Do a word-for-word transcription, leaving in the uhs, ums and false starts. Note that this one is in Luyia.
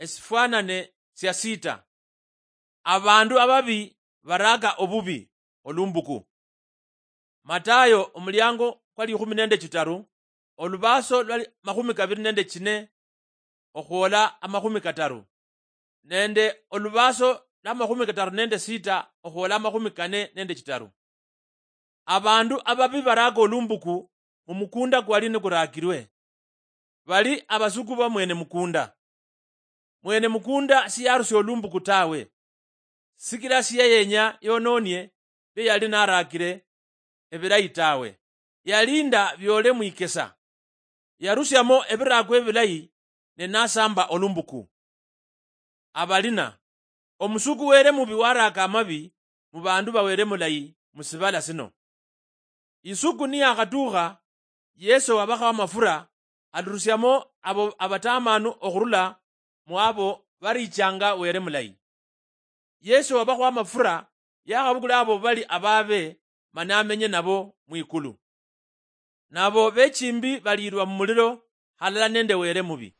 esifwanane sia sita. Abandu ababi baraaka obubi olumbuku. Matayo omuliango kwa likhumi nende chitaru, olubaso lwa makhumi kabiri nende chine okhwola amakhumi kataru, nende olubaso lwa makhumi kataru nende sita okhwola amakhumi kane nende chitaru. Abandu ababi baraaka olumbuku mumukunda kwali nikuraakirwe. Bali abasuku ba mwene mukunda. Mwene mukunda siyarusia olumbuku tawe, sikila siyayenya yononie bia yali naraakire ebilayi tawe. Yalinda biole mwikesa. Yarusiamo ebiraako ebilayi ne nasamba olumbuku. Abalina, omusuku were mubi waraaka amabi mu bandu ba were mulayi mu sibala sino. Isuku niyakhatukha, Yesu wabakhawa amafura alurusiamo abo abatamanu okhurula mu abo barichanga were mulayi. Yesu wabakhawa amafura yakhabukula abo bali ababe mana amenye nabo mwikulu. Nabo bechimbi baliirwa mumuliro halala nende were mubi.